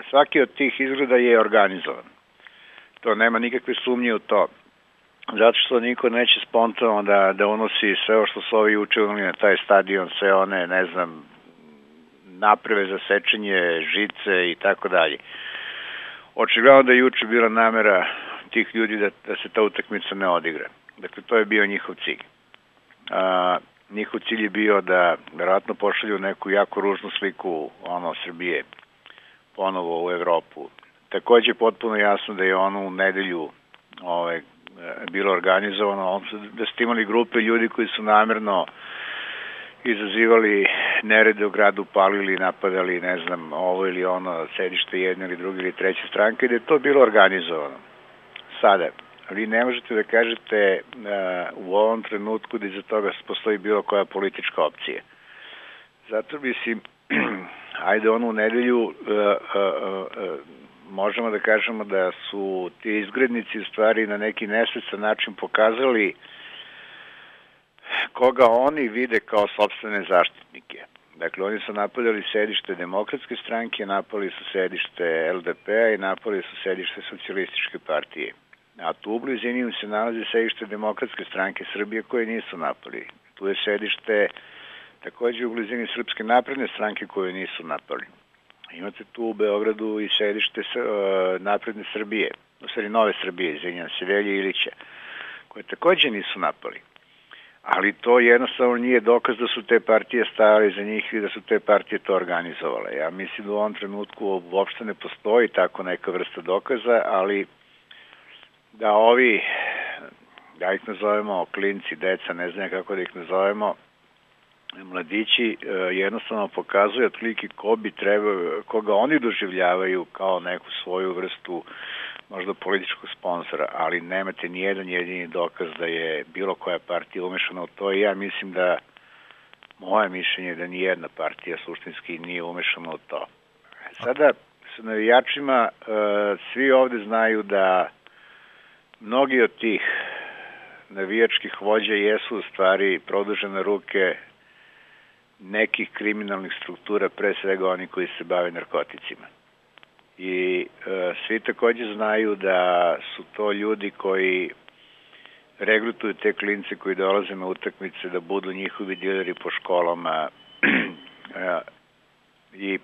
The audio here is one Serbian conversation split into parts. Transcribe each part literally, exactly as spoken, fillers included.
Svaki od tih izgleda je organizovan. To nema nikakve sumnje u to. Zato što niko neće spontano da, da unosi sve o što su ovi učinili na taj stadion, sve one, ne znam, naprave za sečenje, žice i tako dalje. Očigledno da je juče bila namera tih ljudi da, da se ta utakmica ne odigra. Dakle, to je bio njihov cilj. A, njihov cilj je bio da verovatno pošalju neku jako ružnu sliku ono, Srbije ponovo u Evropu. Takođe je potpuno jasno da je ono u nedelju ovaj, bilo organizovano, da ste imali grupe ljudi koji su namerno izazivali nerede u gradu, palili, napadali, ne znam, ovo ili ono, sedište jedne ili druge ili treće stranke, da je to bilo organizovano. Sada, vi ne možete da kažete uh, u ovom trenutku da iza toga postoji bilo koja politička opcija. Zato mislim, ajde onu nedelju uh, uh, uh, možemo da kažemo da su ti izgrednici u stvari na neki nesvestan način pokazali koga oni vide kao sopstvene zaštitnike. Dakle, oni su napadali sedište Demokratske stranke, napali su sedište L D P-a i napali su sedište Socijalističke partije. A tu u blizini se nalazi sedište Demokratske stranke Srbije koje nisu napali. Tu je sedište takođe u blizini Srpske napredne stranke koje nisu napali. Imate tu u Beogradu i sedište uh, Napredne Srbije, u stvari Nove Srbije, izvinjam se, Velje Ilića, koje takođe nisu napali. Ali to jednostavno nije dokaz da su te partije stajale za njih i da su te partije to organizovale. Ja mislim da u ovom trenutku uopšte ne postoji tako neka vrsta dokaza, ali da ovi, da ih nazovemo klinci, deca, ne znam kako da ih nazovemo, mladići jednostavno pokazuju otprilike ko bi trebao, koga oni doživljavaju kao neku svoju vrstu možda političkog sponzora, ali nemate ni jedan jedini dokaz da je bilo koja partija umešana u to i ja mislim da moje mišljenje je da ni jedna partija suštinski nije umešana u to. Sada sa navijačima svi ovde znaju da mnogi od tih navijačkih vođa jesu u stvari produžene ruke nekih kriminalnih struktura, pre svega oni koji se bave narkoticima. I e, svi takođe znaju da su to ljudi koji regrutuju te klince koji dolaze na utakmice da budu njihovi dileri po školama e, i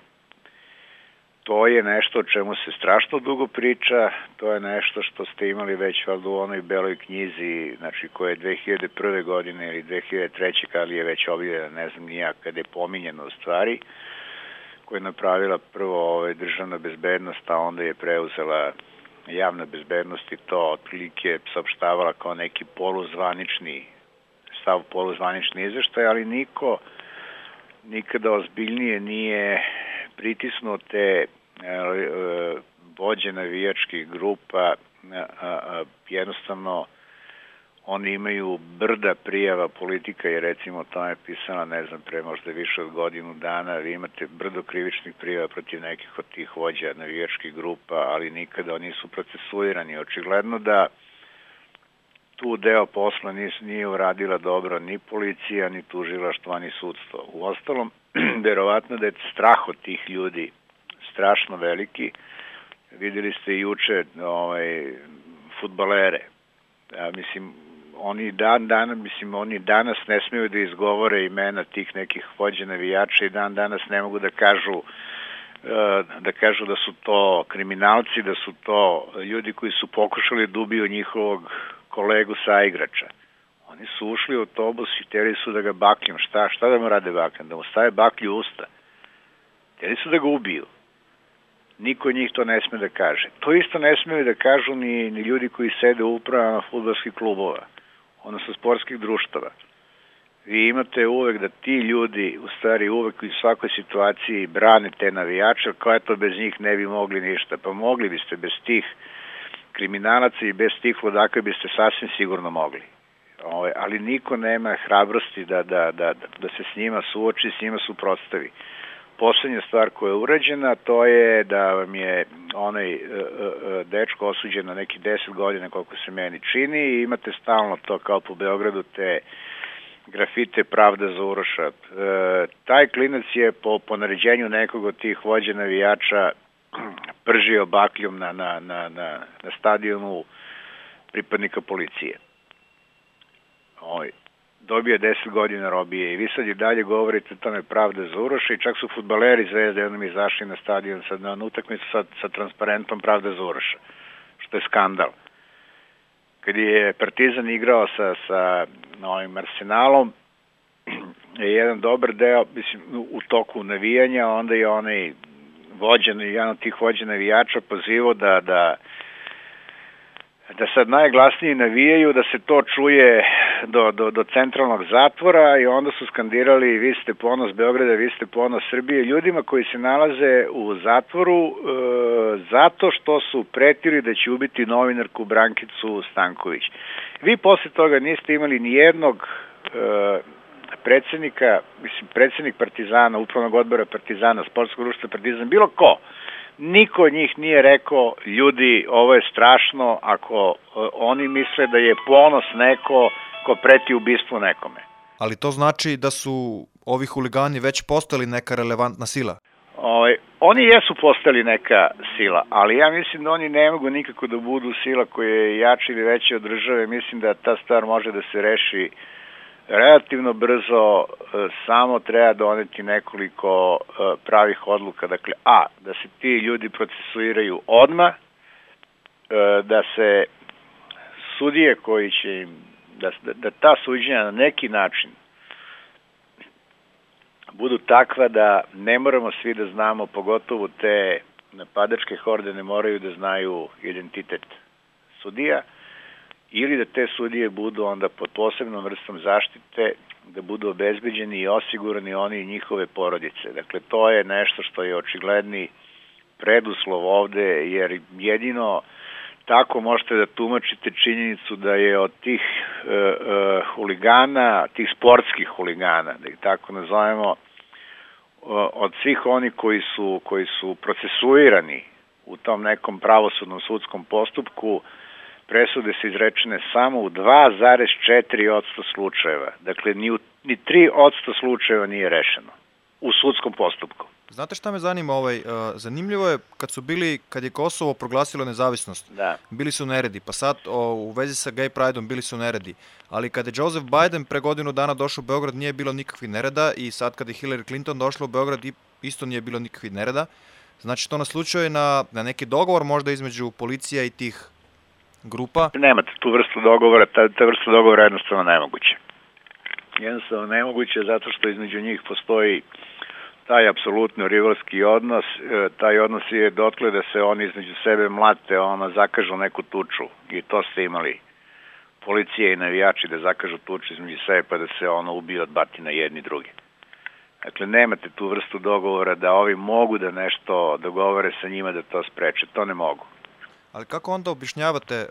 to je nešto o čemu se strašno dugo priča, to je nešto što ste imali već valjda u onoj beloj knjizi, znači koja je dve hiljade prve godine ili dve hiljade treće kada je već objavljena, ne znam nijak, kada je pominjeno u stvari, koja je napravila prvo ovaj, državna bezbednost, a onda je preuzela javna bezbednost i to otprilike saopštavala kao neki poluzvanični stav, poluzvanični izveštaj, ali niko nikada ozbiljnije nije pritisnuo te vođe navijačkih grupa, jednostavno oni imaju brda prijava, politika je recimo to je pisana, ne znam, pre možda više od godinu dana, vi imate brdo krivičnih prijava protiv nekih od tih vođa navijačkih grupa, ali nikada oni nisu procesuirani. Očigledno da tu deo posla nije uradila dobro ni policija, ni tužilaštvo, ni sudstvo. Uostalom, verovatno da je strah od tih ljudi strašno veliki. Videli ste i juče ovaj, fudbalere. Ja, mislim, oni dan danas, mislim, oni danas ne smiju da izgovore imena tih nekih vođa navijača i dan danas ne mogu da kažu da kažu da su to kriminalci, da su to ljudi koji su pokušali da ubiju njihovog kolegu saigrača. Oni su ušli u autobus i hteli su da ga bakljom. Šta? Šta da mu rade bakljom? Da mu stave baklju u usta. Hteli su da ga ubiju. Niko od njih to ne sme da kaže. To isto ne smeju da kažu ni, ni ljudi koji sede u upravama fudbalskih klubova, odnosno sportskih društava. Vi imate uvek da ti ljudi, u stvari uvek u svakoj situaciji brane te navijače, koja to bez njih ne bi mogli ništa. Pa mogli biste bez tih kriminalaca i bez tih ludaka biste sasvim sigurno mogli. Ove, ali niko nema hrabrosti da, da, da, da se s njima suoči, s njima suprotstavi. Poslednja stvar koja je urađena, to je da vam je onaj uh, uh, dečko osuđen na neki deset godina, koliko se meni čini, i imate stalno to kao po Beogradu te grafite Pravda za Uroša. E, taj klinac je po, po naređenju nekog od tih vođa navijača pržio bakljom na, na, na, na, na stadionu pripadnika policije. Oj, dobio je deset godina robije i vi sad i dalje govorite to ne pravda za Uroša i čak su fudbaleri Zvezde jednom izašli na stadion sad na utakmicu sa, sa transparentom pravda za Uroša, što je skandal. Kad je Partizan igrao sa, sa ovim Arsenalom, je jedan dobar deo, mislim, u toku navijanja, onda je onaj vođen, jedan od tih vođa navijača pozivao da, da da sad najglasniji navijaju, da se to čuje do, do, do centralnog zatvora i onda su skandirali vi ste ponos Beograda, vi ste ponos Srbije, ljudima koji se nalaze u zatvoru e, zato što su pretili da će ubiti novinarku Brankicu Stanković. Vi posle toga niste imali ni jednog e, predsednika, mislim, predsednik Partizana, upravnog odbora Partizana, sportskog društva Partizan, bilo ko, niko od njih nije rekao, ljudi, ovo je strašno ako uh, oni misle da je ponos neko ko preti ubistvu nekome. Ali to znači da su ovi huligani već postali neka relevantna sila? Ove, oni jesu postali neka sila, ali ja mislim da oni ne mogu nikako da budu sila koja je jača ili veća od države. Mislim da ta stvar može da se reši relativno brzo, samo treba doneti nekoliko pravih odluka. Dakle, a, da se ti ljudi procesuiraju odmah, da se sudije koji će im, da, da ta suđenja na neki način budu takva da ne moramo svi da znamo, pogotovo te napadačke horde ne moraju da znaju identitet sudija, ili da te sudije budu onda pod posebnom vrstom zaštite, da budu obezbeđeni i osigurani oni i njihove porodice. Dakle, to je nešto što je očigledni preduslov ovde, jer jedino tako možete da tumačite činjenicu da je od tih e, e, huligana, tih sportskih huligana, da ih tako nazovemo, od svih oni koji su, koji su procesuirani u tom nekom pravosudnom sudskom postupku, presude su izrečene samo u dva zarez četiri posto slučajeva. Dakle, ni, u, ni tri posto slučajeva nije rešeno u sudskom postupku. Znate šta me zanima? Ovaj, uh, zanimljivo je kad su bili, kad je Kosovo proglasilo nezavisnost, da. Bili su neredi, pa sad o, u vezi sa gay prideom bili su neredi. Ali kada je Joseph Biden pre godinu dana došao u Beograd nije bilo nikakvih nereda i sad kada je Hillary Clinton došla u Beograd isto nije bilo nikakvih nereda. Znači to naslučuje na, na neki dogovor možda između policija i tih grupa? Nemate tu vrstu dogovora, ta, ta vrsta dogovora je jednostavno nemoguće. Jednostavno nemoguće zato što između njih postoji taj apsolutno rivalski odnos, taj odnos je dotle da se oni između sebe mlate, ono, zakažu neku tuču i to ste imali policije i navijači da zakažu tuču između sebe pa da se ono ubije od batina jedni drugi. Dakle, nemate tu vrstu dogovora da ovi mogu da nešto dogovore sa njima da to spreče, to ne mogu. Ali kako onda objašnjavate,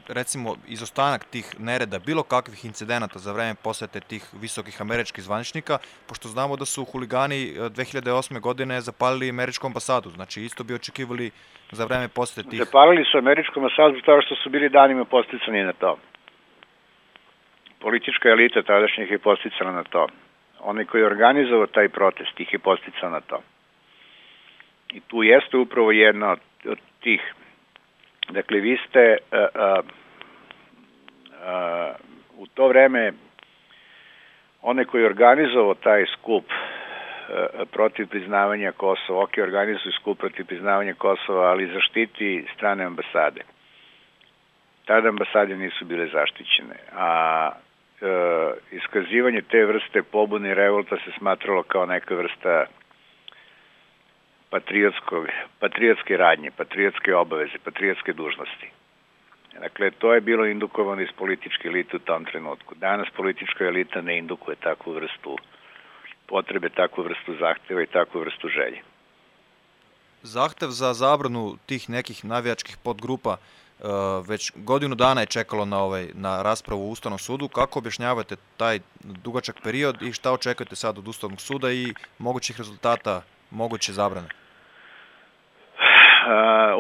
recimo, izostanak tih nereda, bilo kakvih incidenata za vreme posete tih visokih američkih zvaničnika, pošto znamo da su huligani dve hiljade osme godine zapalili američku ambasadu, znači isto bi očekivali za vreme posete tih... Zapalili su američku ambasadu zato što su bili danima posticani na to. Politička elita tadašnjih je posticala na to. Onaj koji je organizovao taj protest ih je posticao na to. I tu jeste upravo jedna od, od tih. Dakle, vi ste uh, uh, uh, u to vreme onaj koji je organizovao taj skup uh, protiv priznavanja Kosova, ok, organizuju skup protiv priznavanja Kosova, ali zaštiti strane ambasade. Tada ambasade nisu bile zaštićene, a uh, iskazivanje te vrste pobune i revolta se smatralo kao neka vrsta patriotske radnje, patriotske obaveze, patriotske dužnosti. Dakle, to je bilo indukovano iz političke elite u tom trenutku. Danas politička elita ne indukuje takvu vrstu potrebe, takvu vrstu zahteva i takvu vrstu želje. Zahtev za zabranu tih nekih navijačkih podgrupa već godinu dana je čekalo na, ovaj, na raspravu u Ustavnom sudu. Kako objašnjavate taj dugačak period i šta očekujete sad od Ustavnog suda i mogućih rezultata moguće zabrane?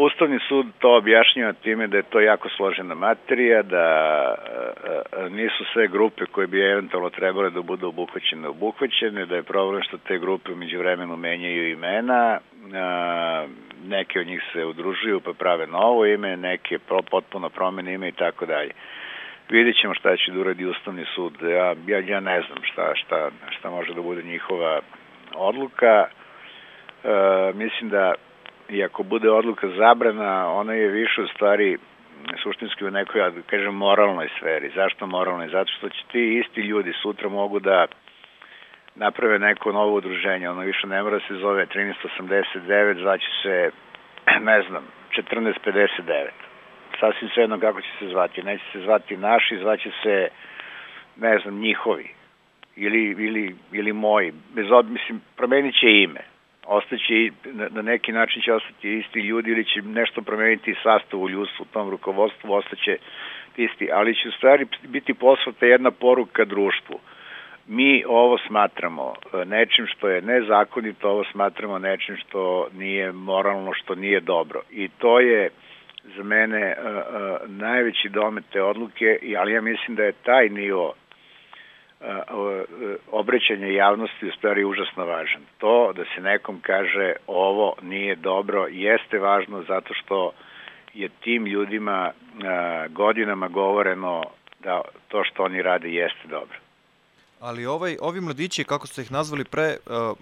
Ustavni sud to objašnjava time da je to jako složena materija, da nisu sve grupe koje bi eventualno trebale da budu obuhvaćene obuhvaćene, da je problem što te grupe umeđu vremenu menjaju imena, neke od njih se udružuju pa prave novo ime, neke potpuno promene ime i tako dalje. Vidjet ćemo šta će da uradi Ustavni sud. Ja, ja, ja ne znam šta, šta, šta može da bude njihova odluka. E, mislim da i ako bude odluka zabrana, ona je više u stvari suštinski u nekoj, da kažem, moralnoj sferi. Zašto moralnoj? Zato što će ti isti ljudi sutra mogu da naprave neko novo udruženje. Ono više ne mora se zove trinaest osamdeset devet, zvaće se, ne znam, četrnaest pedeset devet. Sasvim svejedno kako će se zvati. Neće se zvati naši, zvaće se, ne znam, njihovi. Ili, ili, ili moji. Bez od, mislim, promenit će ime. Ostaće, na, na neki način će ostati isti ljudi ili će nešto promeniti sastav u ljudstvu, u tom rukovodstvu, ostaće isti. Ali će u stvari biti poslata jedna poruka društvu. Mi ovo smatramo nečim što je nezakonito, ovo smatramo nečim što nije moralno, što nije dobro. I to je za mene uh, uh, najveći domet te odluke, ali ja mislim da je taj nivo uh, uh, obraćanja javnosti u stvari užasno važan. To da se nekom kaže ovo nije dobro jeste važno zato što je tim ljudima uh, godinama govoreno da to što oni rade jeste dobro. Ali ovaj, ovi mladići, kako ste ih nazvali pre, uh,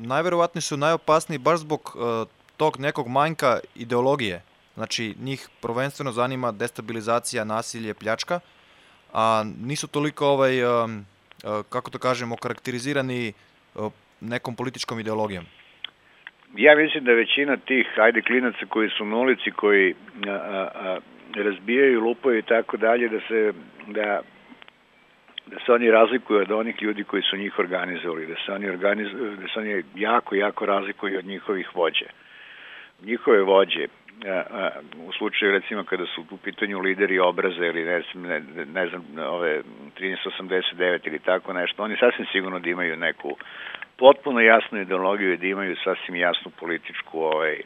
najverovatniji su najopasniji baš zbog uh, tog nekog manjka ideologije. Znači, njih prvenstveno zanima destabilizacija, nasilje, pljačka, a nisu toliko, ovaj, kako to kažemo, karakterizirani nekom političkom ideologijom. Ja mislim da većina tih, ajde, klinaca koji su na ulici, koji a, a, razbijaju, lupaju i tako dalje, da se, da, da se oni razlikuju od onih ljudi koji su njih organizovali, da se oni, organizuju, da se oni jako, jako razlikuju od njihovih vođe. Njihove vođe, u slučaju recimo kada su u pitanju lideri obraza ili ne znam, ne, ne znam ove trinaest osamdeset devet ili tako nešto, oni sasvim sigurno da imaju neku potpuno jasnu ideologiju i da imaju sasvim jasnu političku, ovaj,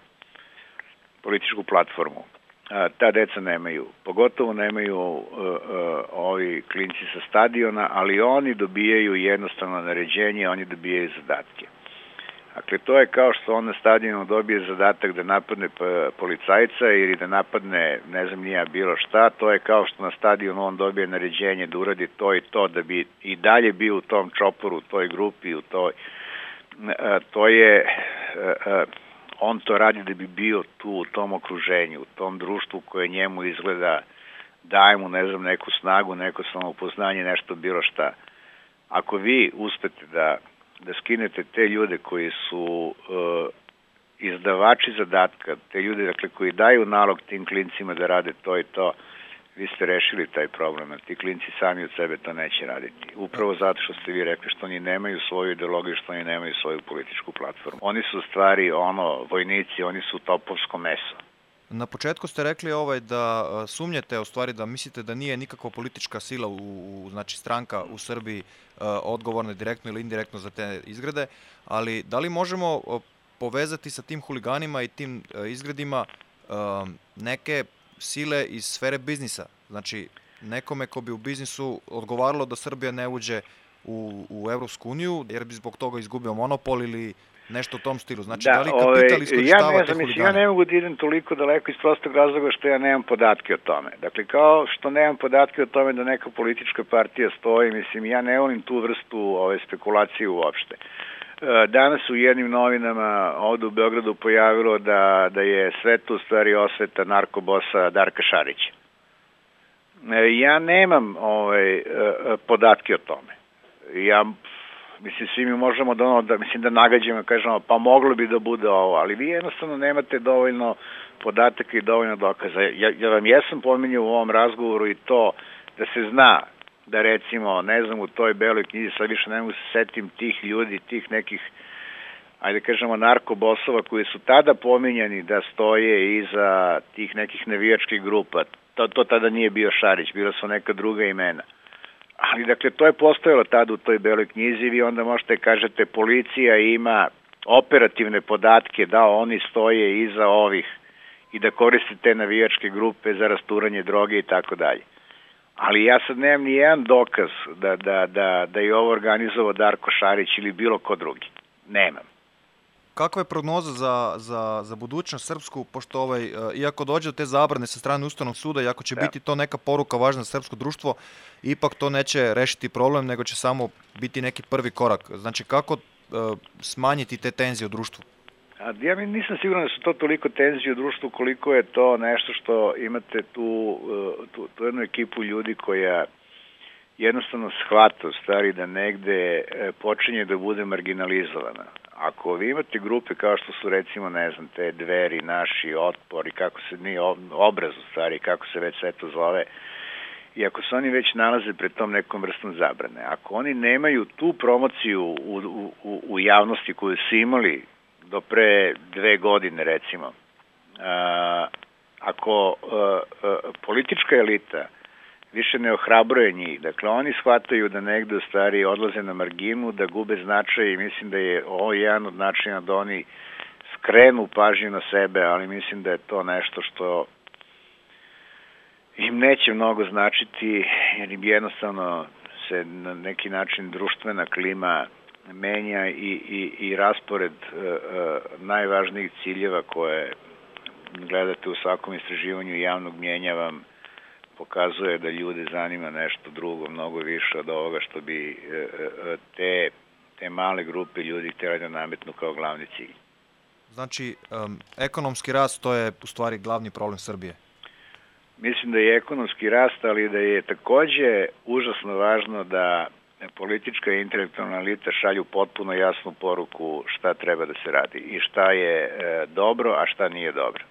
političku platformu. A, ta deca nemaju, pogotovo nemaju uh, uh, ovi klinci sa stadiona, ali oni dobijaju jednostavno naređenje, oni dobijaju zadatke. Dakle, to je kao što on na stadionu dobije zadatak da napadne policajca ili da napadne, ne znam nija bilo šta, to je kao što na stadionu on dobije naređenje da uradi to i to, da bi i dalje bio u tom čoporu, u toj grupi, u toj, to je, on to radi da bi bio tu u tom okruženju, u tom društvu koje njemu izgleda, daje mu, ne znam, neku snagu, neko samoupoznanje, nešto bilo šta. Ako vi uspete da da skinete te ljude koji su uh, izdavači zadatka, te ljude dakle, koji daju nalog tim klincima da rade to i to, vi ste rešili taj problem. Ti klinci sami od sebe to neće raditi. Upravo zato što ste vi rekli što oni nemaju svoju ideologiju, što oni nemaju svoju političku platformu. Oni su u stvari ono, vojnici, oni su topovsko meso. Na početku ste rekli ovaj da sumnjate, u stvari da mislite da nije nikakva politička sila, u, u, znači stranka u Srbiji odgovorna direktno ili indirektno za te izgrede, ali da li možemo povezati sa tim huliganima i tim izgredima neke sile iz sfere biznisa? Znači, nekome ko bi u biznisu odgovaralo da Srbija ne uđe u, u Evropsku uniju, jer bi zbog toga izgubio monopol ili nešto u tom stilu. Znači, da, da li kapital iskorištava ja te huligane? Ja ne mogu da idem toliko daleko iz prostog razloga što ja nemam podatke o tome. Dakle, kao što nemam podatke o tome da neka politička partija stoji, mislim, ja ne volim tu vrstu ove spekulacije uopšte. Danas u jednim novinama ovde u Beogradu pojavilo da, da je sve to u stvari osveta narkobosa Darka Šarića. Ja nemam ovaj, podatke o tome. Ja mislim, svi mi možemo da, ono, da, mislim, da nagađamo, kažemo, pa moglo bi da bude ovo, ali vi jednostavno nemate dovoljno podataka i dovoljno dokaza. Ja, ja vam jesam pominjao u ovom razgovoru i to da se zna da recimo, ne znam, u toj beloj knjizi, sad više ne mogu se setim tih ljudi, tih nekih, ajde kažemo, narkobosova koji su tada pominjani da stoje iza tih nekih navijačkih grupa. To, to tada nije bio Šarić, bila su neka druga imena. Ali, dakle, to je postojalo tada u toj beloj knjizi, vi onda možete kažete policija ima operativne podatke da oni stoje iza ovih i da koriste te navijačke grupe za rasturanje droge i tako dalje. Ali ja sad nemam ni jedan dokaz da, da, da, da je ovo organizovao Darko Šarić ili bilo ko drugi. Nemam. Kakva je prognoza za, za, za budućnost srpsku, pošto ovaj, iako dođe do te zabrane sa strane Ustavnog suda i ako će da. biti to neka poruka važna za srpsko društvo, ipak to neće rešiti problem, nego će samo biti neki prvi korak. Znači, kako uh, smanjiti te tenzije u društvu? A, ja mi nisam siguran da su to toliko tenzije u društvu, koliko je to nešto što imate tu, tu, tu jednu ekipu ljudi koja jednostavno shvata u stvari da negde počinje da bude marginalizovana. Ako vi imate grupe kao što su recimo, ne znam, te Dveri, Naši, Otpor i kako se nije obraz u stvari, kako se već sve to zove, i ako se oni već nalaze pred tom nekom vrstom zabrane, ako oni nemaju tu promociju u, u, u javnosti koju su imali do pre dve godine recimo, a, ako a, a, politička elita više ne ohrabruje njih, dakle oni shvataju da negde u stvari odlaze na marginu, da gube značaj i mislim da je ovo jedan od načina da oni skrenu pažnju na sebe, ali mislim da je to nešto što im neće mnogo značiti, jer im jednostavno se na neki način društvena klima menja i, i, i raspored e, e, najvažnijih ciljeva koje gledate u svakom istraživanju javnog mnjenja vam pokazuje da ljude zanima nešto drugo, mnogo više od ovoga što bi e, e, te, te male grupe ljudi htjeli da nametnu kao glavni cilj. Znači, um, ekonomski rast to je u stvari glavni problem Srbije? Mislim da je ekonomski rast, ali da je takođe užasno važno da politička i intelektualna elita šalju potpuno jasnu poruku šta treba da se radi i šta je e, dobro, a šta nije dobro.